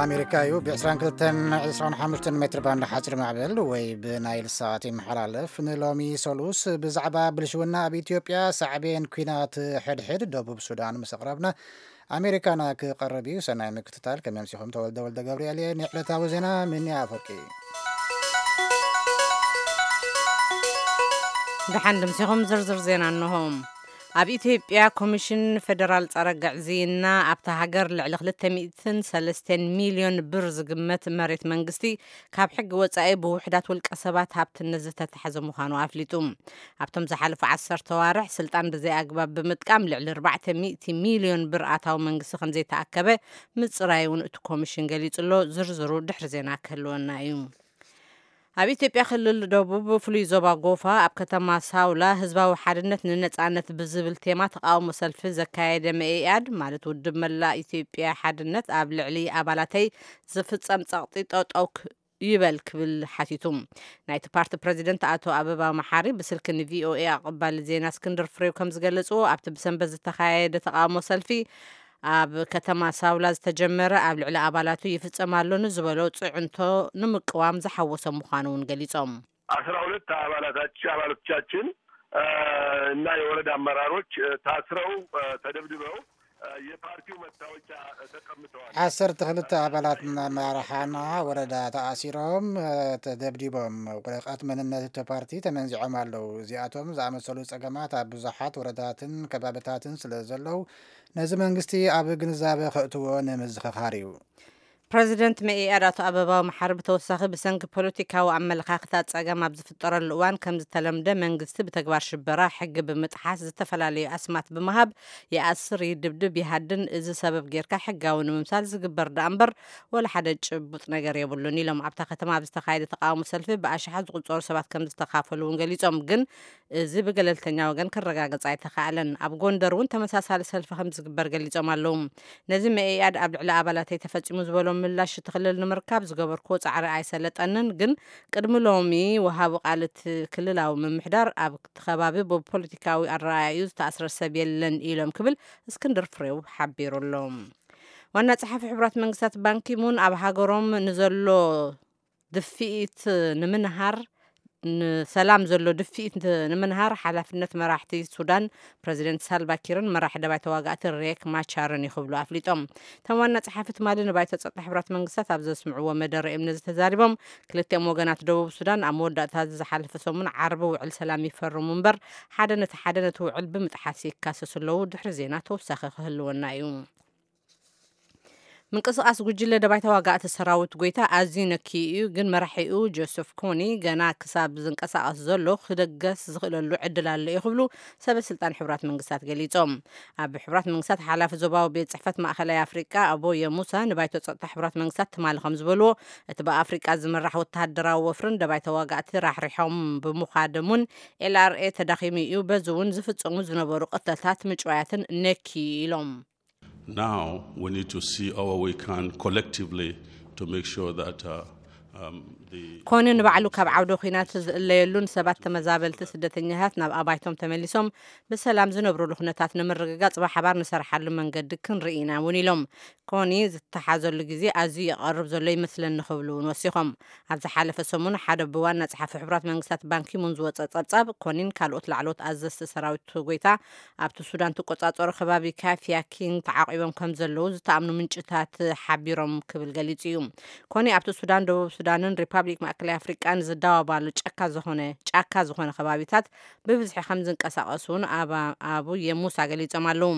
ኣሜሪካ እዩ። ብ22 25 ሜትር ባንድ ሓፂር ማዕበል ወይ ብናይል ሳት ይመሓላለፍ። ንሎሚ ሰሉስ ብዛዕባ ብልሽውና ኣብ ኢትዮጵያ፣ ሳዕቤን ኲናት ሕድሕድ ደቡብ ሱዳን ምስ ኣቕረብና፣ ኣሜሪካና ክቐርብ እዩ። ሰናይ ምክትታል። ከመምሲኹም ተወልደ ወልደ ገብርኤል እየ። ንዕለታዊ ዜና ምንያ ኣፈቂ። ደሓን ድምሲኹም። ዝርዝር ዜና እንሆ። ኣብ ኢትዮጵያ ኮሚሽን ፌደራል ጸረ ግዕዝይና ኣብታ ሃገር ልዕሊ ክልተ ሚእትን ሰለስተን ሚልዮን ብር ዝግመት መሬት መንግስቲ ካብ ሕጊ ወጻኢ ብውሕዳት ውልቀ ሰባት ሃብትነት ዝተታሕዘ ምዃኑ ኣፍሊጡ። ኣብቶም ዝሓለፉ ዓሰርተ ዋርሕ ስልጣን ብዘይ ኣግባብ ብምጥቃም ልዕሊ ኣርባዕተ ሚእቲ ሚልዮን ብር ኣታዊ መንግስቲ ከም ዘይተኣከበ ምጽራይ እውን እቲ ኮሚሽን ገሊጹ ኣሎ። ዝርዝሩ ድሕሪ ዜና ክህልወና እዩ። ኣብ ኢትዮጵያ ክልል ደቡብ ፍሉይ ዞባ ጎፋ ኣብ ከተማ ሳውላ ህዝባዊ ሓድነት ንነጻነት ብዝብል ቴማ ተቃውሞ ሰልፊ ዘካየደ መኢኣድ ማለት ውድብ መላእ ኢትዮጵያ ሓድነት ኣብ ልዕሊ ኣባላተይ ዝፍጸም ጸቕጢ ጠጠው ክ- ይበል ክብል ሓቲቱ። ናይቲ ፓርቲ ፕረዚደንት ኣቶ ኣበባ መሓሪ ብስልኪ ንቪኦኤ ኣቐባሊ ዜና እስክንድር ፍሬው ከም ዝገለጽዎ ኣብቲ ብሰንበት ዝተኻየደ ተቃውሞ ሰልፊ ኣብ ከተማ ሳውላ ዝተጀመረ ኣብ ልዕሊ ኣባላቱ ይፍጸም ኣሎ ንዝበሎ ጽዕንቶ ንምቅዋም ዝሓወሰ ምዃኑ እውን ገሊጾም። አስራ ሁለት አባላታች- አባሎቻችን እና የወረዳ አመራሮች ታስረው ተደብድበው የፓርቲው መታወቂያ ተቀምጠዋል። ዓሰርተ ክልተ ኣባላት ኣመራርሓና ወረዳ ተኣሲሮም፣ ተደብዲቦም፣ ወረቐት መንነት እቲ ፓርቲ ተመንዚዖም ኣለዉ። እዚኣቶም ዝኣመሰሉ ጸገማት ኣብ ብዙሓት ወረዳትን ከባብታትን ስለ ዘለዉ፣ ነዚ መንግስቲ ኣብ ግንዛበ ከእትዎ ንምዝኽኻር እዩ። ፕረዚደንት መኢኣድ ኣቶ ኣበባው መሓሪ ብተወሳኺ ብሰንኪ ፖለቲካዊ ኣመለኻኽታ ጸገም ኣብ ዝፍጠረሉ እዋን ከም ዝተለምደ መንግስቲ ብተግባር ሽበራ ሕጊ ብምጥሓስ ዝተፈላለዩ ኣስማት ብምሃብ ይኣስር፣ ይድብድብ፣ ይሃድን እዚ ሰበብ ጌርካ ሕጋዊ ንምምሳል ዝግበር ደኣ እምበር ወላ ሓደ ጭቡጥ ነገር የብሉን ኢሎም። ኣብታ ከተማ ኣብ ዝተኻየደ ተቃውሞ ሰልፊ ብኣሽሓት ዝቁጸሩ ሰባት ከም ዝተኻፈሉ እውን ገሊጾም። ግን እዚ ብገለልተኛ ወገን ክረጋገጽ ኣይተኻእለን። ኣብ ጎንደር እውን ተመሳሳሊ ሰልፊ ከም ዝግበር ገሊጾም ኣለዉ። ነዚ መኢኣድ ኣብ ልዕሊ ኣባላተይ ተፈጺሙ ዝበሎ ምላሽ እቲ ክልል ንምርካብ ዝገበርክዎ ጻዕሪ ኣይሰለጠንን፣ ግን ቅድሚ ሎሚ ወሃቢ ቃል እቲ ክልላዊ ምምሕዳር ኣብቲ ከባቢ ብፖለቲካዊ ኣረኣእያኡ ዝተኣስረ ሰብ የለን ኢሎም ክብል እስክንድር ፍሬው ሓቢሩ ኣሎ። ዋና ጸሓፊ ሕቡራት መንግስታት ባንኪሙን ኣብ ሃገሮም ንዘሎ ድፍኢት ንምንሃር፣ ንሰላም ዘሎ ድፍኢት ንምንሃር ሓላፍነት መራሕቲ ሱዳን ፕረዚደንት ሳልቫ ኪርን መራሒ ደባይ ተዋጋእቲ ሬክ ማቻርን እዩ ክብሉ ኣፍሊጦም። እቶም ዋና ጸሓፊ ትማሊ ንባይቶ ጸጥታ ሕቡራት መንግስታት ኣብ ዘስምዕዎ መደረ እዮም ነዚ ተዛሪቦም። ክልቲኦም ወገናት ደቡብ ሱዳን ኣብ መወዳእታ ዝሓለፈ ሰሙን ዓርቢ ውዕል ሰላም ይፈርሙ እምበር ሓደ ነቲ ሓደ ነቲ ውዕል ብምጥሓስ ይካሰሱ ኣለዉ። ድሕሪ ዜና ተወሳኺ ክህልወና እዩ። ምንቅስቃስ ጉጅለ ደባይ ተዋጋእቲ ሰራዊት ጎይታ ኣዝዩ ነኪዩ እዩ፣ ግን መራሒኡ ጆሴፍ ኮኒ ገና ክሳብ ዝንቀሳቀስ ዘሎ ክደገስ ዝኽእለሉ ዕድል ኣሎ እዩ ክብሉ ሰበ ስልጣን ሕቡራት መንግስታት ገሊጾም። ኣብ ሕቡራት መንግስታት ሓላፊ ዞባዊ ቤት ጽሕፈት ማእኸላይ ኣፍሪቃ ኣቦየ ሙሳ ንባይቶ ጸጥታ ሕቡራት መንግስታት ትማሊ ከም ዝበልዎ፣ እቲ ብኣፍሪቃ ዝምራሕ ወተሃደራዊ ወፍርን ደባይ ተዋጋእቲ ራሕሪሖም ብምዃዶምን ኤልኣርኤ ተዳኺሙ እዩ፣ በዚ እውን ዝፍጸሙ ዝነበሩ ቅትለታት ምጭዋያትን ነኪዩ ኢሎም። Now we need to see how we can collectively to make sure that uh, um, the ኮኒ ንባዕሉ ካብ ዓውደ ኲናት ዝእለየሉን ሰባት ተመዛበልቲ ስደተኛታት ናብ ኣባይቶም ተመሊሶም ብሰላም ዝነብሩሉ ኩነታት ንምርግጋጽ ብሓባር ንሰርሓሉ መንገዲ ክንርኢ ኢና እውን ኢሎም። ኮኒ ዝተሓዘሉ ግዜ ኣዝዩ ይቐርብ ዘሎ ይመስለኒ ክብሉ እውን ወሲኾም። ኣብ ዝሓለፈ ሰሙን ሓደ ብዋና ጸሓፊ ሕቡራት መንግስታት ባንኪሙን ዝወጸ ጸብጻብ ኮኒን ካልኦት ላዕለዎት ኣዘዝቲ ሰራዊት ጎይታ ኣብቲ ሱዳን ትቆጻጸሮ ከባቢ ካፊያ ኪን ተዓቂቦም ከም ዘለዉ ዝተኣምኑ ምንጭታት ሓቢሮም ክብል ገሊጹ እዩ። ኮኒ ኣብቲ ሱዳን፣ ደቡብ ሱዳንን ሪፓብሊክ ማእከላይ ኣፍሪቃን ዝዳወባሉ ጫካ ዝኾነ ጫካ ዝኾነ ከባቢታት ብብዝሒ ከም ዝንቀሳቐሱ እውን ኣባ- ኣቡ የሙሳ ገሊጾም ኣለዉ።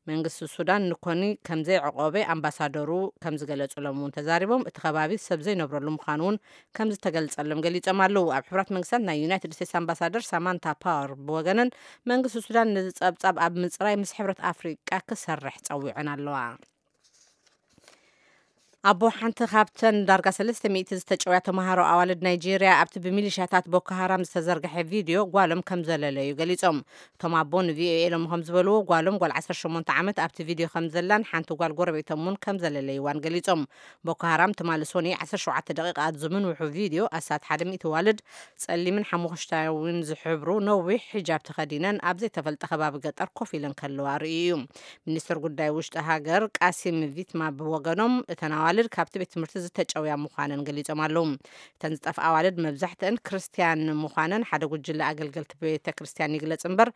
መንግስቲ ሱዳን ንኮኒ ከም ዘይዕቆበ ኣምባሳደሩ ከም ዝገለጹሎም እውን ተዛሪቦም፣ እቲ ከባቢ ሰብ ዘይነብረሉ ምዃኑ እውን ከም ዝተገልጸሎም ገሊጾም ኣለዉ። ኣብ ሕቡራት መንግስታት ናይ ዩናይትድ ስቴትስ ኣምባሳደር ሳማንታ ፓወር ብወገነን መንግስቲ ሱዳን ነዚ ጸብጻብ ኣብ ምጽራይ ምስ ሕብረት ኣፍሪቃ ክሰርሕ ጸዊዐን ኣለዋ። ኣቦ ሓንቲ ካብተን ዳርጋ ሰለስተ ሚእቲ ዝተጨውያ ተምሃሮ ኣዋልድ ናይጄርያ ኣብቲ ብሚሊሻታት ቦኮ ሃራም ዝተዘርግሐ ቪድዮ ጓሎም ከም ዘለለዩ ገሊጾም። እቶም ኣቦ ንቪኦኤ ኢሎም ከም ዝበልዎ ጓሎም ጓል ዓሰርተ ሸሞንተ ዓመት ኣብቲ ቪድዮ ከም ዘላን ሓንቲ ጓል ጎረቤቶም እውን ከም ዘለለይዋን ገሊጾም። ቦኮ ሃራም ትማሊ ሶኒ ዓሰርተ ሸውዓተ ደቂቓ ኣብ ዝምንውሑ ቪድዮ ኣስታት ሓደ ሚእቲ ዋልድ ጸሊምን ሓሙኽሽታዊን ዝሕብሩ ነዊሕ ሒጃብ ተኸዲነን ኣብ ዘይተፈልጠ ከባቢ ገጠር ኮፍ ኢለን ከለዋ ርእዩ እዩ። ሚኒስትር ጉዳይ ውሽጢ ሃገር ቃሲም ቪትማ ብወገኖም እተን ኣዋልድ ኣዋልድ ካብቲ ቤት ትምህርቲ ዝተጨውያ ምዃነን ገሊጾም ኣለዉ። እተን ዝጠፍኣ ኣዋልድ መብዛሕትአን ክርስትያን ምዃነን ሓደ ጉጅለ ኣገልገልቲ ቤተ ክርስትያን ይግለጽ እምበር፣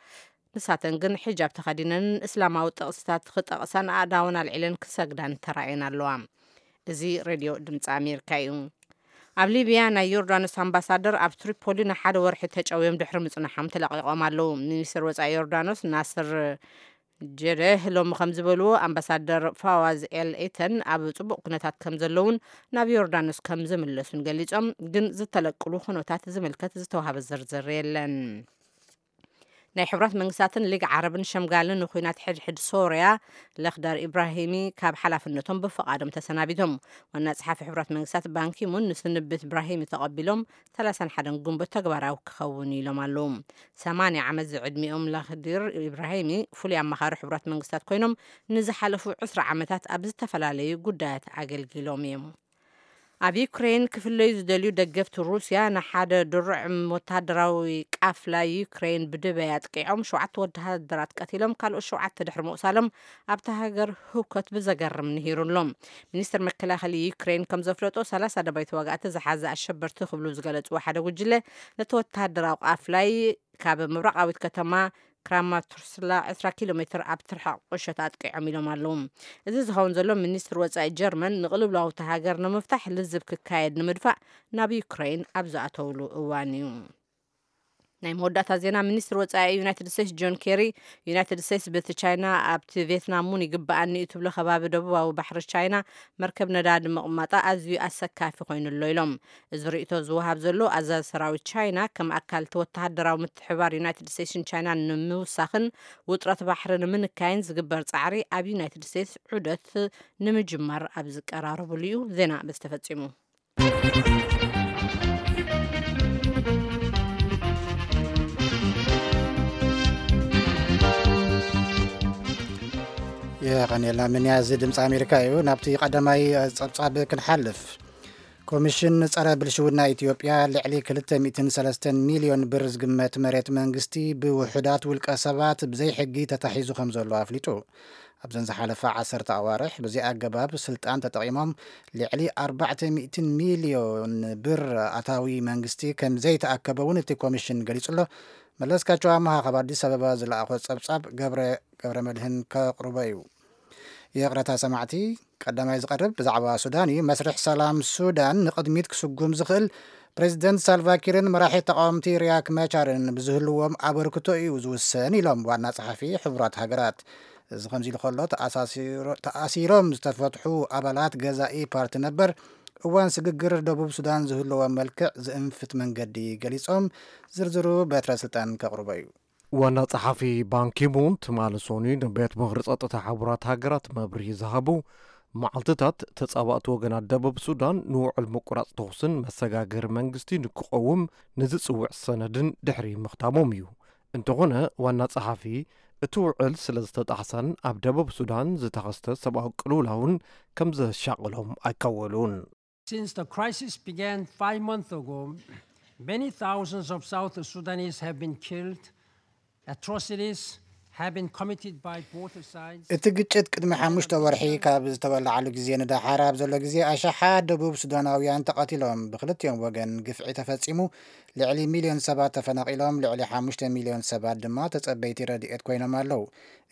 ንሳተን ግን ሒጃብ ተኸዲነንን እስላማዊ ጥቕስታት ክጠቕሳን ኣእዳወን ኣልዒለን ክሰግዳን ተራእየን ኣለዋ። እዚ ሬድዮ ድምፂ ኣሜሪካ እዩ። ኣብ ሊብያ ናይ ዮርዳኖስ ኣምባሳደር ኣብ ትሪፖሊ ንሓደ ወርሒ ተጨውዮም ድሕሪ ምጽናሖም ተለቒቖም ኣለዉ። ሚኒስትር ወፃኢ ዮርዳኖስ ናስር ጀደህ ሎሚ ከም ዝበልዎ፣ ኣምባሳደር ፋዋዝ ኤል ኤተን ኣብ ጽቡቕ ኩነታት ከም ዘለውን ናብ ዮርዳኖስ ከም ዝምለሱን ገሊጾም፣ ግን ዝተለቅሉ ኩነታት ዝምልከት ዝተዋህበ ዝርዝር የለን። ናይ ሕቡራት መንግስታትን ሊግ ዓረብን ሸምጋልን ንኩናት ሕድሕድ ሶርያ ለኽዳር ኢብራሂሚ ካብ ሓላፍነቶም ብፍቓዶም ተሰናቢቶም። ዋና ጸሓፊ ሕቡራት መንግስታት ባንኪሙን ንስንብት ኢብራሂሚ ተቐቢሎም ሰላሳን ሓደን ግንቦት ተግባራዊ ክኸውን ኢሎም ኣለዉ። ሰማንያ ዓመት ዝዕድሚኦም ለኽዲር ኢብራሂሚ ፍሉይ ኣማኻሪ ሕቡራት መንግስታት ኮይኖም ንዝሓለፉ ዕስራ ዓመታት ኣብ ዝተፈላለዩ ጉዳያት ኣገልጊሎም እዮም። ኣብ ዩክሬን ክፍለዩ ዝደልዩ ደገፍቲ ሩስያ ንሓደ ድሩዕ ወተሃደራዊ ቃፍላ ዩክሬን ብድበይ ኣጥቂዖም ሸውዓተ ወተሃደራት ቀቲሎም ካልኦት ሸውዓተ ድሕሪ ምቑሳሎም ኣብታ ሃገር ህውከት ብዘገርም ንሂሩ ኣሎ። ሚኒስትር መከላኸሊ ዩክሬን ከም ዘፍለጦ ሰላሳ ደባይ ተዋጋእቲ ዝሓዘ ኣሸበርቲ ክብሉ ዝገለጽዎ ሓደ ጉጅለ ነቲ ወተሃደራዊ ቃፍላይ ካብ ምብራቓዊት ከተማ ክራማቶርስላ ዕስራ ኪሎ ሜትር ኣብ ትርሓቕ ቁሸት ኣጥቂዖም ኢሎም ኣለዉ። እዚ ዝኸውን ዘሎ ሚኒስትር ወጻኢ ጀርመን ንቕልውላው እታ ሃገር ንምፍታሕ ልዝብ ክካየድ ንምድፋእ ናብ ዩክሬን ኣብ ዝኣተውሉ እዋን እዩ። ናይ መወዳእታ ዜና። ሚኒስትር ወጻኢ ዩናይትድ ስቴትስ ጆን ኬሪ ዩናይትድ ስቴትስ በቲ ቻይና ኣብቲ ቬትናም እውን ይግበኣኒ እዩ ትብሎ ከባቢ ደቡባዊ ባሕሪ ቻይና መርከብ ነዳዲ ምቕማጣ ኣዝዩ ኣሰካፊ ኮይኑ ኣሎ ኢሎም። እዚ ርእይቶ ዝወሃብ ዘሎ ኣዛዚ ሰራዊት ቻይና ከም ኣካል እቲ ወተሃደራዊ ምትሕብባር ዩናይትድ ስቴትስን ቻይናን ንምውሳኽን ውጥረት ባሕሪ ንምንካይን ዝግበር ጻዕሪ ኣብ ዩናይትድ ስቴትስ ዑደት ንምጅማር ኣብ ዝቀራረብሉ እዩ። ዜና በዚ ተፈጺሙ። የቐንየልና ምንያ፣ እዚ ድምፂ ኣሜሪካ እዩ። ናብቲ ቀዳማይ ጸብጻብ ክንሓልፍ። ኮሚሽን ጸረ ብልሽውና ኢትዮጵያ ልዕሊ ክልተ ሚእትን ሰለስተን ሚልዮን ብር ዝግመት መሬት መንግስቲ ብውሑዳት ውልቀ ሰባት ብዘይ ሕጊ ተታሒዙ ከም ዘሎ ኣፍሊጡ። ኣብዘን ዝሓለፋ ዓሰርተ ኣዋርሕ ብዚ ኣገባብ ስልጣን ተጠቒሞም ልዕሊ ኣርባዕተ ሚእትን ሚልዮን ብር ኣታዊ መንግስቲ ከም ዘይተኣከበ እውን እቲ ኮሚሽን ገሊጹ ኣሎ። መለስካቸው ኣመሃ ካብ ኣዲስ ኣበባ ዝለኣኾ ጸብጻብ ገብረ፣ ገብረ መድህን ከቕርቦ እዩ። ይቕረታ ሰማዕቲ፣ ቀዳማይ ዝቐርብ ብዛዕባ ሱዳን እዩ። መስርሕ ሰላም ሱዳን ንቕድሚት ክስጉም ዝኽእል ፕሬዚደንት ሳልቫኪርን መራሒ ተቃወምቲ ሪያክ መቻርን ብዝህልዎም ኣበርክቶ እዩ ዝውሰን ኢሎም ዋና ጸሓፊ ሕቡራት ሃገራት። እዚ ከምዚ ኢሉ ከሎ፣ ተኣሳሲሮ-፣ ተኣሲሮም ዝተፈትሑ ኣባላት ገዛኢ ፓርቲ ነበር እዋን ስግግር ደቡብ ሱዳን ዝህልዎም መልክዕ ዝእንፍት መንገዲ ገሊጾም። ዝርዝሩ በትረ ስልጣን ከቕርቦ እዩ። ዋና ጸሓፊ ባንኪሙን ትማሊ ሶኒ ንቤት ምኽሪ ጸጥታ ሕቡራት ሃገራት መብርሂ ዝሃቡ፣ መዓልትታት ተጻባእቲ ወገናት ደቡብ ሱዳን ንውዕል ምቁራጽ ተኹስን መሰጋገሪ መንግስቲ ንክቐውም ንዝጽውዕ ሰነድን ድሕሪ ምኽታሞም እዩ። እንተኾነ ዋና ጸሓፊ እቲ ውዕል ስለ ዝተጣሕሰን ኣብ ደቡብ ሱዳን ዝተኸስተ ሰብኣዊ ቅልውላውን ከም ዘሻቕሎም ኣይከወሉን። Since the crisis began five months ago, many thousands of South Sudanese have been killed. Atrocities have been committed by both sides. እቲ ግጭት ቅድሚ ሓሙሽተ ወርሒ ካብ ዝተወላዓሉ ግዜ ንደሓር ኣብ ዘሎ ግዜ ኣሽሓት ደቡብ ሱዳናውያን ተቐቲሎም፣ ብክልቲኦም ወገን ግፍዒ ተፈጺሙ፣ ልዕሊ ሚልዮን ሰባት ተፈናቒሎም፣ ልዕሊ ሓሙሽተ ሚልዮን ሰባት ድማ ተጸበይቲ ረድኤት ኮይኖም ኣለዉ።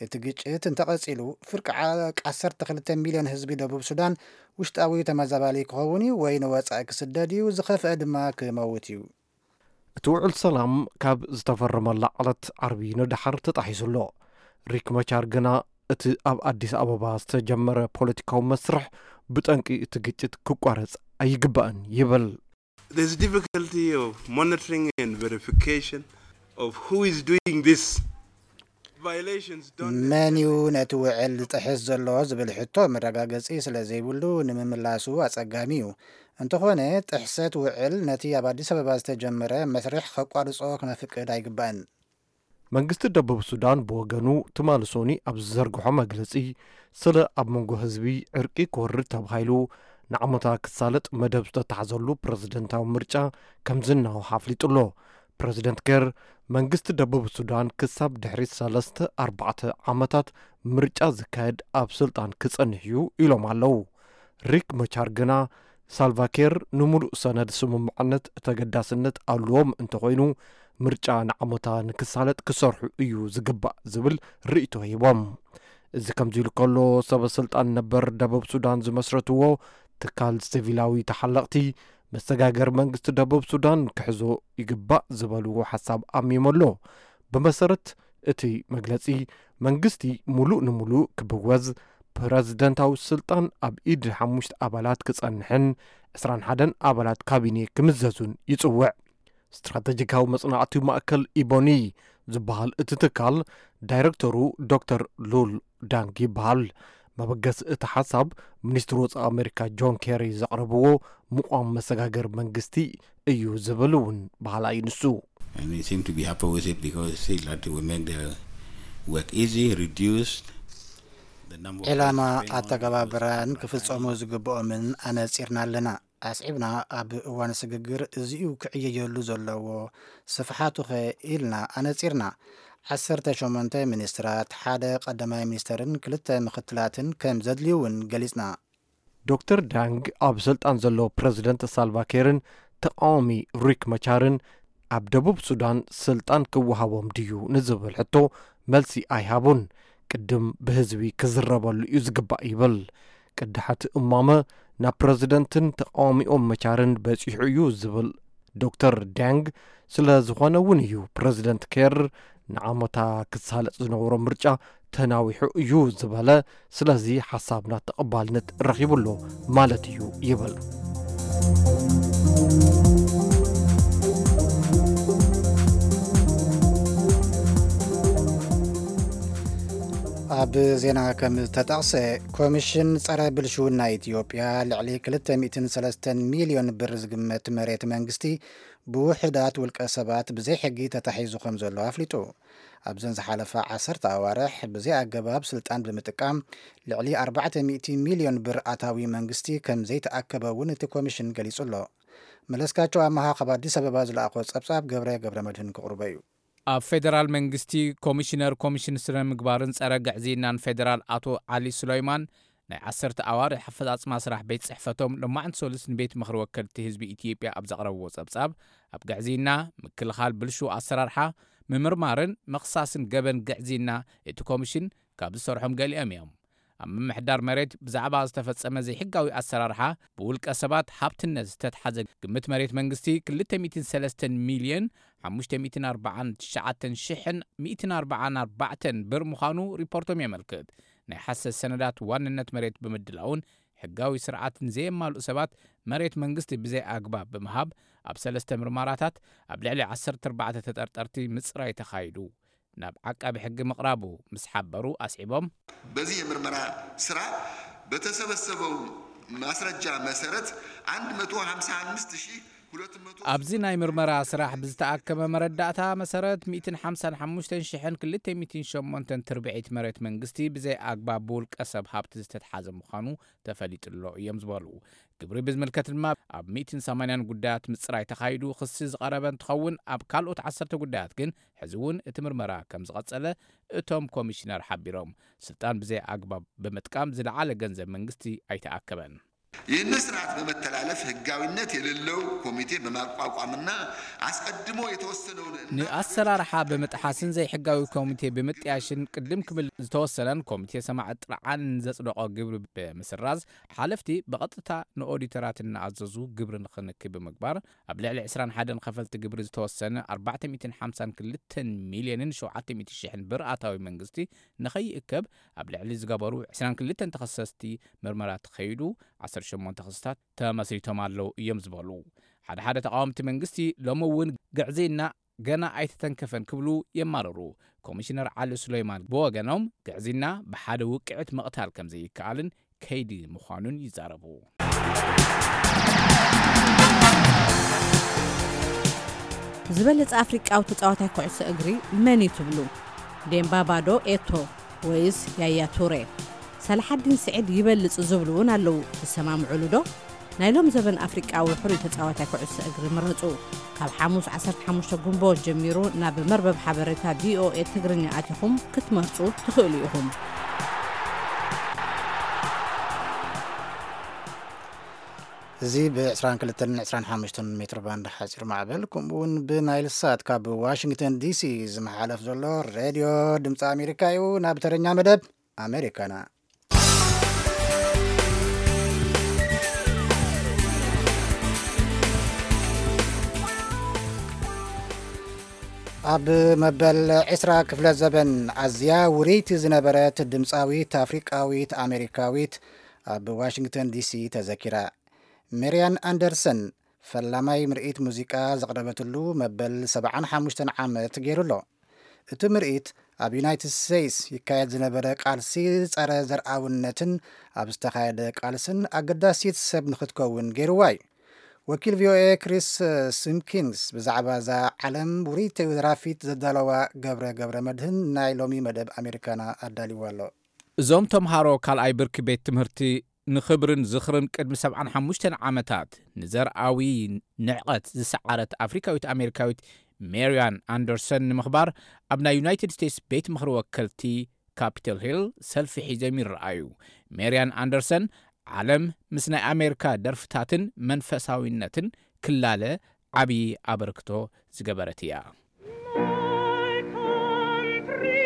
እቲ ግጭት እንተቐጺሉ፣ ፍርቂ ዓ-፣ ዓሰርተ ክልተ ሚልዮን ህዝቢ ደቡብ ሱዳን ውሽጣዊ ተመዛባሊ ክኸውን እዩ ወይ ንወጻኢ ክስደድ እዩ፣ ዝኸፍአ ድማ ክመውት እዩ። እቲ ውዕል ሰላም ካብ ዝተፈረመላ ዕለት ዓርቢ ንደሓር ተጣሒሱ ኣሎ። ሪክ መቻር ግና እቲ ኣብ ኣዲስ ኣበባ ዝተጀመረ ፖለቲካዊ መስርሕ ብጠንቂ እቲ ግጭት ክቋረጽ ኣይግባእን ይብል። There's difficulty of monitoring and verification of who is doing this. Violations don't መን እዩ ነቲ ውዕል ዝጥሕስ ዘሎ ዝብል ሕቶ መረጋገጺ ስለ ዘይብሉ ንምምላሱ ኣጸጋሚ እዩ። እንተኾነ ጥሕሰት ውዕል ነቲ ኣብ ኣዲስ ኣበባ ዝተጀመረ መስርሕ ከቋርጾ ክነፍቅድ ኣይግባእን። መንግስቲ ደቡብ ሱዳን ብወገኑ ትማሊ ሶኒ ኣብ ዝዘርግሖ መግለጺ ስለ ኣብ መንጎ ህዝቢ ዕርቂ ክወርድ ተባሂሉ ንዓመታ ክሳለጥ መደብ ዝተታሕዘሉ ፕረዚደንታዊ ምርጫ ከም ዝናዋሕ ኣፍሊጡ ኣሎ። ፕረዚደንት ኬር መንግስቲ ደቡብ ሱዳን ክሳብ ድሕሪ ሰለስተ ኣርባዕተ ዓመታት ምርጫ ዝካየድ ኣብ ስልጣን ክጸንሕ እዩ ኢሎም ኣለዉ። ሪክ መቻር ግና ሳልቫኪር ንምሉእ ሰነድ ስምምዕነት ተገዳስነት ኣለዎም እንተኾይኑ፣ ምርጫ ንዓመታ ንክሳለጥ ክሰርሑ እዩ ዝግባእ ዝብል ርእይቶ ሂቦም። እዚ ከምዚ ኢሉ ከሎ፣ ሰበ ስልጣን ነበር ደቡብ ሱዳን ዝመስረትዎ ትካል ሲቪላዊ ተሓለቕቲ መሰጋገሪ መንግስቲ ደቡብ ሱዳን ክሕዞ ይግባእ ዝበልዎ ሓሳብ ኣሚሙ ኣሎ። ብመሰረት እቲ መግለጺ፣ መንግስቲ ምሉእ ንምሉእ ክብወዝ፣ ፕረዚደንታዊ ስልጣን ኣብ ኢድ ሓሙሽተ ኣባላት ክጸንሕን ዕስራን ሓደን ኣባላት ካቢኔ ክምዘዙን ይጽውዕ። ስትራተጂካዊ መጽናዕቲ ማእከል ኢቦኒ ዝበሃል እቲ ትካል ዳይረክተሩ ዶክተር ሉል ዳንግ ይበሃል። መበገሲ እቲ ሓሳብ፣ ሚኒስትሪ ወጻኢ ኣሜሪካ ጆን ኬሪ ዘቕረብዎ ምቋም መሰጋገሪ መንግስቲ እዩ ዝብል እውን በሃላይ ንሱ። And we seem to be happy with it because they say that we make the work easy, reduce the number of ዕላማ ኣተገባብራን ክፍጸሙ ዝግብኦምን ኣነጺርና ኣለና። ኣስዒብና ኣብ እዋን ስግግር እዚኡ ክዕየየሉ ዘለዎ ስፍሓቱኸ ኢልና ኣነጺርና። ዓሰርተ ሸሞንተ ሚኒስትራት፣ ሓደ ቀዳማይ ሚኒስተርን ክልተ ምኽትላትን ከም ዘድልዩ እውን ገሊጽና። ዶክተር ዳንግ ኣብ ስልጣን ዘሎ ፕረዚደንት ሳልቫኪርን ተቃዋሚ ሪክ መቻርን ኣብ ደቡብ ሱዳን ስልጣን ክወሃቦም ድዩ ንዝብል ሕቶ መልሲ ኣይሃቡን። ቅድም ብህዝቢ ክዝረበሉ እዩ ዝግባእ ይብል። ቅዳሓት እማመ ናብ ፕረዚደንትን ተቃዋሚኦም መቻርን በጺሑ እዩ ዝብል ዶክተር ዳንግ፣ ስለ ዝኾነ እውን እዩ ፕረዚደንት ኬር ንዓመታ ክሳለጥ ዝነበሮ ምርጫ ተናዊሑ እዩ ዝበለ። ስለዚ ሓሳብና ተቐባልነት ረኺቡ ኣሎ ማለት እዩ ይብል። ኣብ ዜና ከም ዝተጠቕሰ፣ ኮሚሽን ጸረ ብልሽውና ኢትዮጵያ ልዕሊ ክልተ ሚእትን ሰለስተን ሚልዮን ብር ዝግመት መሬት መንግስቲ ብውሑዳት ውልቀ ሰባት ብዘይ ሕጊ ተታሒዙ ከም ዘሎ ኣፍሊጡ። ኣብዘን ዝሓለፋ ዓሰርተ ኣዋርሕ ብዘይ ኣገባብ ስልጣን ብምጥቃም ልዕሊ ኣርባዕተ ሚእቲ ሚልዮን ብር ኣታዊ መንግስቲ ከም ዘይተኣከበ እውን እቲ ኮሚሽን ገሊጹ ኣሎ። መለስካቸው ኣመሃ ካብ ኣዲስ ኣበባ ዝለኣኾ ጸብጻብ ገብረ ገብረ መድህን ክቕርቦ እዩ። ኣብ ፌደራል መንግስቲ ኮሚሽነር ኮሚሽን ስነ ምግባርን ጸረ ግዕዝይናን ፌደራል ኣቶ ዓሊ ሱለይማን ናይ ዓሰርተ ኣዋርሕ ኣፈጻጽማ ስራሕ ቤት ጽሕፈቶም ሎማዕንቲ ሰሉስ ንቤት ምኽሪ ወከልቲ ህዝቢ ኢትዮጵያ ኣብ ዘቕረብዎ ጸብጻብ፣ ኣብ ግዕዝይና፣ ምክልኻል ብልሹው ኣሰራርሓ፣ ምምርማርን ምኽሳስን ገበን ግዕዝይና እቲ ኮሚሽን ካብ ዝሰርሖም ገሊኦም እዮም። ኣብ ምምሕዳር መሬት ብዛዕባ ዝተፈጸመ ዘይሕጋዊ ኣሰራርሓ ብውልቀ ሰባት ሃብትነት ዝተትሓዘ ግምት መሬት መንግስቲ ክልተ ሚእትን ሰለስተን ሚልዮን ሓሙሽተ ሚእትን ኣርባዓን ትሽዓተን ሽሕን ሚእትን ኣርባዓን ኣርባዕተን ብር ምዃኑ ሪፖርቶም የመልክት። ናይ ሓሰት ሰነዳት ዋንነት መሬት ብምድላውን ሕጋዊ ስርዓትን ዘየማልኡ ሰባት መሬት መንግስቲ ብዘይ ኣግባብ ብምሃብ ኣብ ሰለስተ ምርመራታት ኣብ ልዕሊ ዓሰርተ ኣርባዕተ ተጠርጠርቲ ምጽራይ ተኻይዱ ናብ ዓቃቢ ሕጊ ምቕራቡ ምስ ሓበሩ ኣስዒቦም። በዚህ የምርመራ ስራ በተሰበሰበው ማስረጃ መሰረት አንድ መቶ ሀምሳ አምስት ሺህ ሁለት መቶ ኣብዚ ናይ ምርመራ ስራሕ ብዝተኣከበ መረዳእታ መሰረት ሚእትን ሓምሳን ሓሙሽተን ሽሕን ክልተ ሚእትን ሸሞንተን ትርብዒት መሬት መንግስቲ ብዘይ ኣግባብ ብውልቀ ሰብ ሃብቲ ዝተትሓዘ ምዃኑ ተፈሊጡ ኣሎ እዮም ዝበሉ። ግብሪ ብዝምልከት ድማ ኣብ ሚእትን ሰማንያን ጉዳያት ምፅራይ ተኻይዱ ክሲ ዝቐረበ እንትኸውን፣ ኣብ ካልኦት ዓሰርተ ጉዳያት ግን ሕዚ እውን እቲ ምርመራ ከም ዝቐፀለ እቶም ኮሚሽነር ሓቢሮም። ስልጣን ብዘይ ኣግባብ ብምጥቃም ዝለዓለ ገንዘብ መንግስቲ ኣይተኣከበን። ይህን ስርዓት በመተላለፍ ህጋዊነት የሌለው ኮሚቴ በማቋቋምና አስቀድሞ የተወሰነውን እና ንኣሰራርሓ ብምጥሓስን ዘይሕጋዊ ኮሚቴ ብምጥያሽን ቅድም ክብል ዝተወሰነን ኮሚቴ ሰማዕ ጥርዓን ዘጽደቆ ግብሪ ብምስራዝ ሓለፍቲ ብቐጥታ ንኦዲተራት እናኣዘዙ ግብሪ ንኽንኪ ብምግባር ኣብ ልዕሊ ዕስራን ሓደን ከፈልቲ ግብሪ ዝተወሰነ ኣርባዕተ ሚእትን ሓምሳን ክልተን ሚልዮንን ሸውዓተ ሚእቲ ሽሕን ብር ኣታዊ መንግስቲ ንኸይእከብ ኣብ ልዕሊ ዝገበሩ ዕስራን ክልተን ተኸሰስቲ ምርመራ ተኸይዱ ዓሰርተ ሸሞንተ ክስታት ተመስሪቶም ኣለዉ እዮም ዝበሉ ሓደ ሓደ ተቓወምቲ መንግስቲ፣ ሎሚ እውን ግዕዝይና ገና ኣይተተንከፈን ክብሉ የማርሩ። ኮሚሽነር ዓሊ ሱለይማን ብወገኖም፣ ግዕዝይና ብሓደ ውቅዕት ምቕታል ከም ዘይከኣልን ከይዲ ምዃኑን ይዛረቡ። ዝበለጸ ኣፍሪቃዊ ተጻዋታይ ኩዕሶ እግሪ መን እዩ ትብሉ? ዴምባባ ዶ ኤቶ ወይስ ያያ ቱሬ? ሰላሓዲን ስዒድ ይበልጽ ዝብሉ እውን ኣለዉ። ትሰማምዑሉ ዶ? ናይ ሎም ዘበን ኣፍሪቃዊ ሕሩይ ተጻዋታይ ኩዕሶ እግሪ ምረጹ። ካብ ሓሙስ ዓሰርተ ሓሙሽተ ጉንቦት ጀሚሩ ናብ መርበብ ሓበሬታ ቪኦኤ ትግርኛ ኣቲኹም ክትመርጹ ትኽእሉ ኢኹም። እዚ ብ22ን 25ን ሜትሮ ባንድ ሓፂር ማዕበል፣ ከምኡ እውን ብናይል ሳት ካብ ዋሽንግተን ዲሲ ዝመሓለፍ ዘሎ ሬድዮ ድምፂ ኣሜሪካ እዩ። ናብ ተረኛ መደብ ኣሜሪካና። ኣብ መበል ዕስራ ክፍለ ዘበን ኣዝያ ውርይቲ ዝነበረት ድምፃዊት ኣፍሪቃዊት ኣሜሪካዊት ኣብ ዋሽንግተን ዲሲ ተዘኪራ። ሜርያን ኣንደርሰን ፈላማይ ምርኢት ሙዚቃ ዘቕረበትሉ መበል ሰብዓን ሓሙሽተን ዓመት ገይሩ ኣሎ። እቲ ምርኢት ኣብ ዩናይትድ ስቴትስ ይካየድ ዝነበረ ቃልሲ ጸረ ዘርኣውነትን ኣብ ዝተኻየደ ቃልስን ኣገዳሲት ሰብ ንኽትከውን ገይርዋ እዩ። ወኪል ቪኦኤ ክሪስ ሲምኪንስ ብዛዕባ እዛ ዓለም ውርይቲ ደራፊት ዘዳለዋ ገብረ ገብረ መድህን ናይ ሎሚ መደብ ኣሜሪካና ኣዳልይዋ ኣሎ። እዞም ተምሃሮ ካልኣይ ብርኪ ቤት ትምህርቲ ንኽብርን ዝኽርን ቅድሚ ሰብዓን ሓሙሽተን ዓመታት ንዘርኣዊ ንዕቐት ዝሰዓረት ኣፍሪካዊት ኣሜሪካዊት ሜርያን ኣንደርሰን ንምኽባር ኣብ ናይ ዩናይትድ ስቴትስ ቤት ምኽሪ ወከልቲ ካፒቶል ሂል ሰልፊ ሒዞም ይረኣዩ። ሜርያን ኣንደርሰን ዓለም ምስ ናይ ኣሜሪካ ደርፍታትን መንፈሳዊነትን ክላለ ዓብዪ ኣበርክቶ ዝገበረት እያ። My country,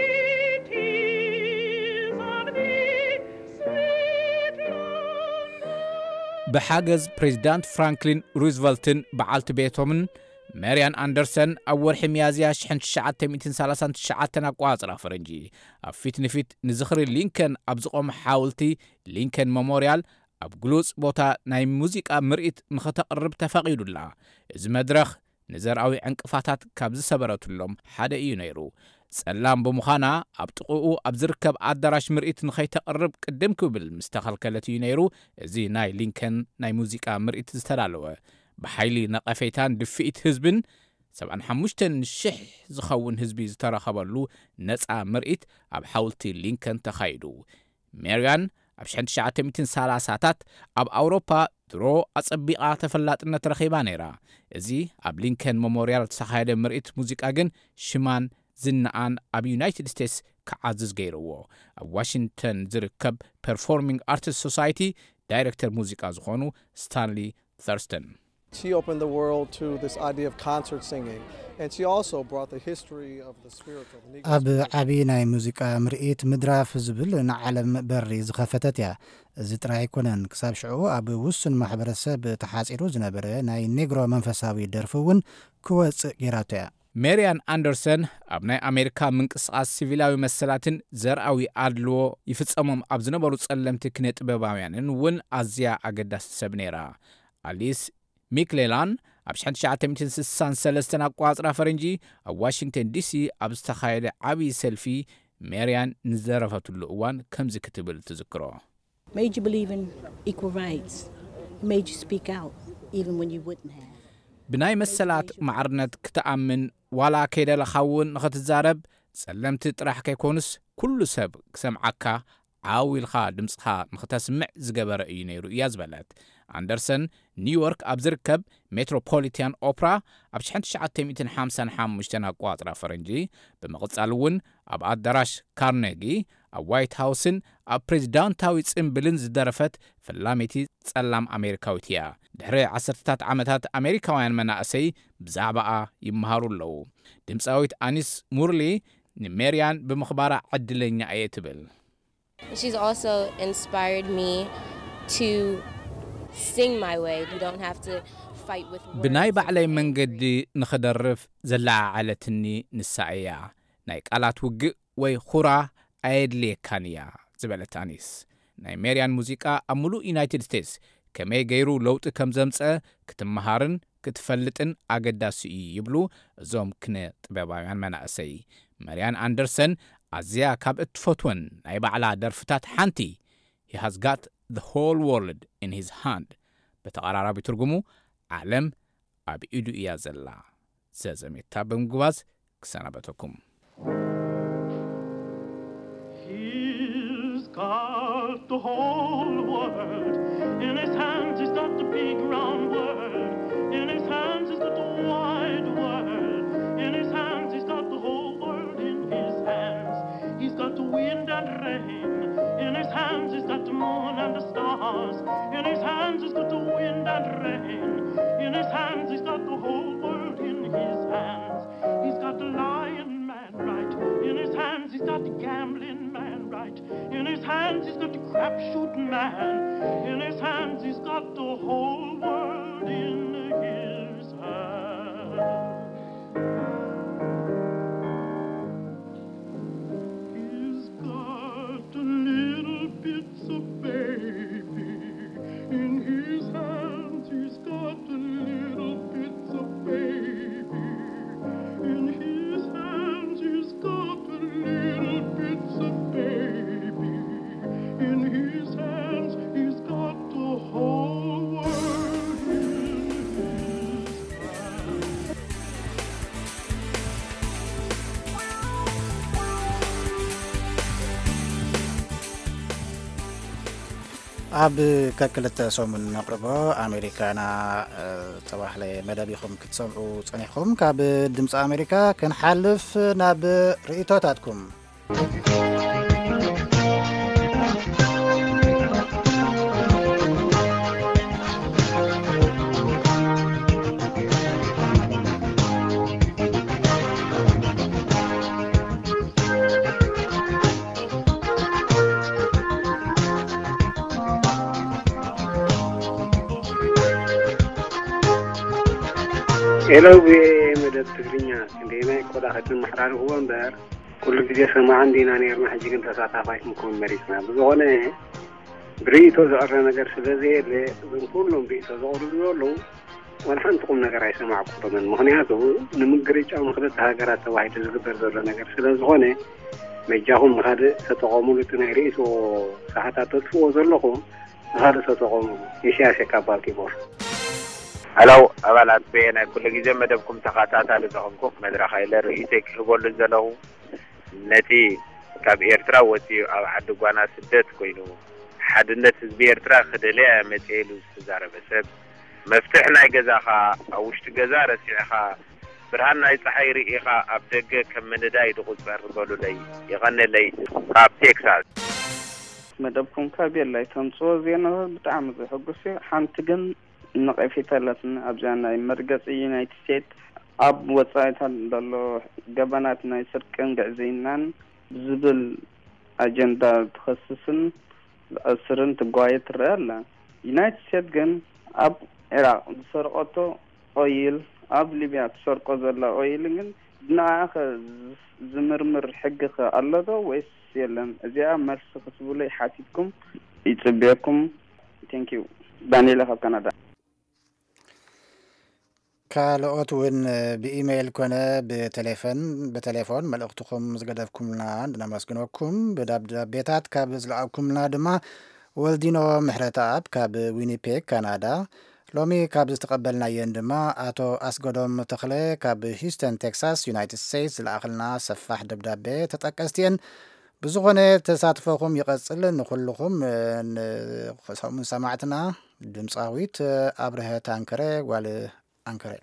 tis of thee, sweet land. ብሓገዝ ፕሬዚዳንት ፍራንክሊን ሩዝቨልትን በዓልቲ ቤቶምን፣ ሜርያን ኣንደርሰን ኣብ ወርሒ ሚያዝያ ሽሕን ትሽዓተ ሚእትን ሰላሳን ትሽዓተን ኣቋጽራ ፈረንጂ ኣብ ፊት ንፊት ንዝኽሪ ሊንከን ኣብ ዝቖመ ሓውልቲ ሊንከን መሞርያል ኣብ ግሉጽ ቦታ ናይ ሙዚቃ ምርኢት ንኸተቕርብ ተፈቒዱላ። እዚ መድረኽ ንዘርኣዊ ዕንቅፋታት ካብ ዝሰበረትሎም ሓደ እዩ ነይሩ። ጸላም ብምዃና ኣብ ጥቕኡ ኣብ ዝርከብ ኣዳራሽ ምርኢት ንኸይተቕርብ ቅድም ክብል ምስ ተኸልከለት እዩ ነይሩ እዚ ናይ ሊንከን ናይ ሙዚቃ ምርኢት ዝተዳለወ። ብሓይሊ ነቐፌታን ድፍኢት ህዝብን ሰብዓን ሓሙሽተን ሽሕ ዝኸውን ህዝቢ ዝተረኸበሉ ነጻ ምርኢት ኣብ ሓውልቲ ሊንከን ተኻይዱ። ሜርያን ኣብ ሽሕን ትሽዓተ ሚእትን ሰላሳታት ኣብ ኣውሮፓ ድሮ ኣጸቢቓ ተፈላጥነት ረኺባ ነይራ። እዚ ኣብ ሊንከን መሞርያል ዝተኻየደ ምርኢት ሙዚቃ ግን ሽማን ዝናኣን ኣብ ዩናይትድ ስቴትስ ክዓዝዝ ገይርዎ። ኣብ ዋሽንግተን ዝርከብ ፐርፎርሚንግ ኣርትስ ሶሳይቲ ዳይሬክተር ሙዚቃ ዝኾኑ ስታንሊ ተርስተን። She opened the world to this idea of concert singing, and she also brought the history of the spiritual, the Negro ኣብ spiritual. ዓቢ ናይ ሙዚቃ ምርኢት ምድራፍ ዝብል ንዓለም በሪ ዝኸፈተት እያ። እዚ ጥራይ ኣይኮነን፣ ክሳብ ሽዑ ኣብ ውሱን ማሕበረሰብ ተሓጺሩ ዝነበረ ናይ ኔግሮ መንፈሳዊ ደርፊ እውን ክወጽእ ገይራቶ እያ። ሜርያን ኣንደርሰን ኣብ ናይ ኣሜሪካ ምንቅስቓስ ሲቪላዊ መሰላትን ዘርኣዊ ኣድልዎ ይፍጸሞም ኣብ ዝነበሩ ጸለምቲ ክነ ጥበባውያንን እውን ኣዝያ ኣገዳሲ ሰብ ነይራ። ኣሊስ ሚክሌላን ኣብ ሽሕን ትሽዓተ ሚእትን ስሳን ሰለስተን ኣቋጽራ ፈረንጂ ኣብ ዋሽንግተን ዲሲ ኣብ ዝተኻየደ ዓብዪ ሰልፊ ሜርያን ንዝደረፈትሉ እዋን ከምዚ ክትብል ትዝክሮ። Made you believe in equal rights. Made you speak out even when you wouldn't have. ብናይ መሰላት ማዕርነት ክትኣምን ዋላ ከይደለኻ እውን ንኽትዛረብ፣ ጸለምቲ ጥራሕ ከይኮኑስ ኩሉ ሰብ ክሰምዓካ ዓው ኢልኻ ድምፅኻ ንኽተስምዕ ዝገበረ እዩ ነይሩ እያ ዝበለት። ኣንደርሰን ኒውዮርክ ኣብ ዝርከብ ሜትሮፖሊታን ኦፕራ ኣብ ሽሕን ትሽዓተ ሚእትን ሓምሳን ሓሙሽተን ኣቋፅራ ፈረንጂ፣ ብምቕፃል እውን ኣብ ኣዳራሽ ካርኔጊ፣ ኣብ ዋይት ሃውስን ኣብ ፕሬዚዳንታዊ ጽምብልን ዝደረፈት ፈላሚቲ ጸላም ኣሜሪካዊት እያ። ድሕሪ ዓሰርተታት ዓመታት ኣሜሪካውያን መናእሰይ ብዛዕባኣ ይመሃሩ ኣለዉ። ድምፃዊት ኣኒስ ሙርሊ ንሜርያን ብምኽባራ ዕድለኛ እየ ትብል። She's also inspired me to sing my way. You don't have to fight with words. ብናይ ባዕለይ መንገዲ ንኽደርፍ ዘለዓዓለትኒ ንሳ እያ። ናይ ቃላት ውግእ ወይ ኹራ ኣየድልየካን እያ ዝበለት ኣኒስ፣ ናይ ሜርያን ሙዚቃ ኣብ ምሉእ ዩናይትድ ስቴትስ ከመይ ገይሩ ለውጢ ከም ዘምፀ ክትመሃርን ክትፈልጥን ኣገዳሲ እዩ ይብሉ እዞም ክነ ጥበባውያን መናእሰይ። መርያን ኣንደርሰን ኣዝያ ካብ እትፈትወን ናይ ባዕላ ደርፍታት ሓንቲ He has got the whole world in his hand፣ ብተቐራራቢ ትርጉሙ ዓለም ኣብ ኢዱ እያ ዘላ። ዘዘሜታ ብምጉባዝ ክሰናበተኩም። He's got the whole world in his hands. He's got the big round world in his hands. He's got the wide world in his hands. He's got the whole world in his hands. He's got the wind and rain in his hands. He's got the moon and the stars. In his hands he's got the wind and rain. In his hands he's got the whole world in his hands. He's got the lion man right. In his hands he's got the gambling man right. In his hands he's got the crapshoot man. In his hands he's got the whole world in his hands. He's got the little bits of baby in his hands. He's got the little bits of baby in his hands. He's got the little bits of baby in his hands. He's got the whole world in his ኣብ ከክልተ ሰሙን ነቕርቦ ኣሜሪካና ዝተባህለ መደብ ኢኹም ክትሰምዑ ጸኒሕኩም። ካብ ድምፂ ኣሜሪካ ክንሓልፍ ናብ ርእቶታትኩም። ሄሎ፣ ብመደብ ትግርኛ ክንደየናይ ቆዳ ከተመሓላልፍዎ እምበር፣ ኩሉ ግዜ ሰማዕቲ እንዲና ነይርና፣ ሕጂ ግን ተሳታፋይ ክንከውን መሪጽና። ብዝኾነ ብርእይቶ ዝቐረ ነገር ስለ ዘየለ፣ እዞም ኩሎም ርእይቶ ዘቕርቡ ዘለዉ ዋላ ሓንቲ ቁም ነገር ኣይሰማዕኩሎምን። ምኽንያቱ ንምግርጫው ንክልተ ሃገራት ተባሂሉ ዝግበር ዘሎ ነገር ስለ ዝኾነ፣ በጃኹም ንኻልእ ተጠቐሙሉ። እቲ ናይ ርእይቶ ሰዓታት ተጥፍዎ ዘለኹም ንኻልእ ተጠቐሙሉ። ኢሳያስ የካ ባልቲሞር። ሀለው ኣባላት ቤ ናይ ኩሉ ግዜ መደብኩም ተኸታታሊ ዝኾንኩ መድረኽ ኢለ ርእይቶይ ክህበሉ ዘለኹ ነቲ ካብ ኤርትራ ወፂኡ ኣብ ዓዲ ጓና ስደት ኮይኑ ሓድነት ህዝቢ ኤርትራ ክደልያ እየ መፅየ ኢሉ ዝተዛረበ ሰብ መፍትሕ ናይ ገዛኻ ኣብ ውሽጢ ገዛ ረሲዕኻ ብርሃን ናይ ፀሓይ ርኢኻ ኣብ ደገ ከም ምንዳይ ድቑፀር በሉለይ። የቐንየለይ ካብ ቴክሳስ። መደብኩም ካብ የላይ ተምፅኦ ዜናታት ብጣዕሚ ዘሐጉስ እዩ። ሓንቲ ግን ነቐፌታ ኣላትኒ ኣብዛ ናይ መርገፂ ዩናይትድ ስቴትስ ኣብ ወፃኢታት ዘሎ ገበናት ናይ ስርቅን ግዕዝይናን ብዝብል ኣጀንዳ ትኸስስን ትኣስርን ትጓየ ትረኣ ኣላ። ዩናይትድ ስቴትስ ግን ኣብ ዒራቕ ዝሰርቐቶ ኦይል ኣብ ሊብያ ትሰርቆ ዘላ ኦይል ግን ብንዓኣ ከ ዝምርምር ሕጊ ከ ኣሎ ዶ ወይስ የለን? እዚኣ መልሲ ክትብሉይ ሓቲትኩም ይጽብየኩም። Thank you. ዳንኤል ካብ ካናዳ። ካልኦት እውን ብኢሜይል ኮነ ብቴሌፎን ብቴሌፎን መልእኽትኹም ዝገደፍኩምልና እንድነመስግነኩም ብደብዳቤታት ካብ ዝለኣኩምልና ድማ ወልዲኖ ምሕረተኣብ ካብ ዊኒፔግ ካናዳ ሎሚ ካብ ዝተቐበልናየን ድማ ኣቶ ኣስገዶም ተኽለ ካብ ሂውስተን ቴክሳስ ዩናይትድ ስቴትስ ዝለኣኽልና ሰፋሕ ደብዳቤ ተጠቀስቲ እየን። ብዝኾነ ተሳትፎኹም ይቐጽል። ንኹልኹም ንሰሙን ሰማዕትና ድምፃዊት ኣብርሀት ኣንከረ ጓል ኣንከረ።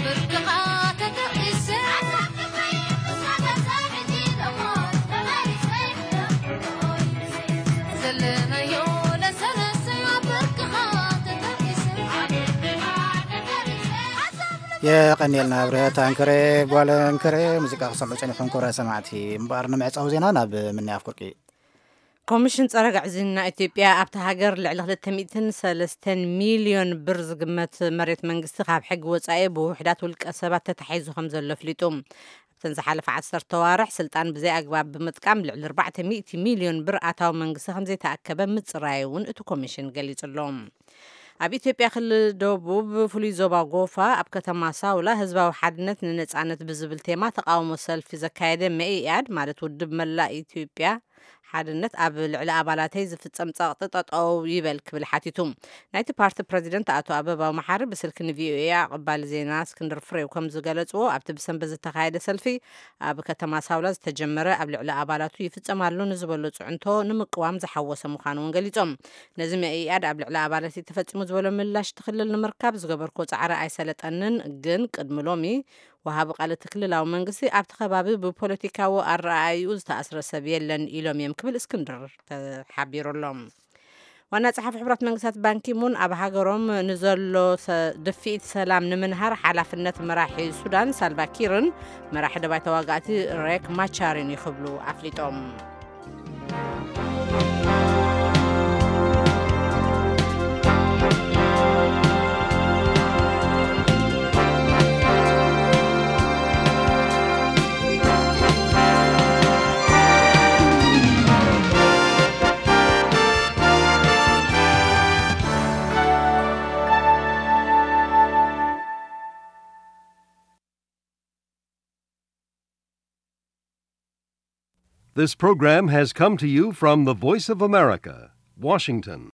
ብርክኻ ተጠቒሰ ሓሳብ ክፈይ፣ ንሳ ከሳብ ሕጂ ደሞ ተመሊሰ ዘለናዮ ለሰለሰ ብርክኻ ተጠቒሰ ሓሳብ የቐንየልና ብርሃት ኣንከረ፣ ጓል ኣንከረ። ሙዚቃ ክሰምዑ ጸኒሖም ክቡራት ሰማዕቲ። እምበኣር ንምዕጻው ዜና ናብ ምንያፍ ኩርቂ። ኮሚሽን ጸረ ግዕዝይና ኢትዮጵያ ኣብታ ሃገር ልዕሊ ክልተ ሚእትን ሰለስተን ሚልዮን ብር ዝግመት መሬት መንግስቲ ካብ ሕጊ ወጻኢ ብውሕዳት ውልቀ ሰባት ተታሒዙ ከም ዘሎ ኣፍሊጡ። ኣብተን ዝሓለፈ ዓሰርተ ኣዋርሕ ስልጣን ብዘይ ኣግባብ ብምጥቃም ልዕሊ ኣርባዕተ ሚእቲ ሚልዮን ብር ኣታዊ መንግስቲ ከም ዘይተኣከበ ምጽራዩ እውን እቲ ኮሚሽን ገሊጹ ኣሎ። ኣብ ኢትዮጵያ ክልል ደቡብ ፍሉይ ዞባ ጎፋ ኣብ ከተማ ሳውላ ህዝባዊ ሓድነት ንነጻነት ብዝብል ቴማ ተቃውሞ ሰልፊ ዘካየደ መኢኣድ ማለት ውድብ መላእ ኢትዮጵያ ሓድነት ኣብ ልዕሊ ኣባላተይ ዝፍጸም ጸቕጢ ጠጠው ይበል ክብል ሓቲቱ። ናይቲ ፓርቲ ፕረዚደንት ኣቶ ኣበባው መሓሪ ብስልኪ ንቪኦኤ ኣቐባሊ ዜና እስክንድር ፍሬው ከም ዝገለጽዎ ኣብቲ ብሰንበት ዝተኻየደ ሰልፊ ኣብ ከተማ ሳውላ ዝተጀመረ ኣብ ልዕሊ ኣባላቱ ይፍጸም ኣሎ ንዝበሎ ጽዕንቶ ንምቅዋም ዝሓወሰ ምዃኑ እውን ገሊጾም። ነዚ መኢኣድ ኣብ ልዕሊ ኣባላተይ ተፈጺሙ ዝበሎ ምላሽ እቲ ክልል ንምርካብ ዝገበርኩዎ ጻዕሪ ኣይሰለጠንን፣ ግን ቅድሚ ሎሚ ወሃቢ ቃል እቲ ክልላዊ መንግስቲ ኣብቲ ከባቢ ብፖለቲካዊ ኣረኣእይኡ ዝተኣስረ ሰብ የለን ኢሎም እዮም ክብል እስክንድር ተሓቢሩ ኣሎ። ዋና ጸሓፊ ሕቡራት መንግስታት ባንኪሙን ኣብ ሃገሮም ንዘሎ ሰ-፣ ድፍኢት ሰላም ንምንሃር ሓላፍነት መራሒ ሱዳን ሳልቫ ኪርን መራሒ ደባይ ተዋጋእቲ ሬክ ማቻርን እዩ ክብሉ ኣፍሊጦም። This program has come to you from the Voice of America, Washington.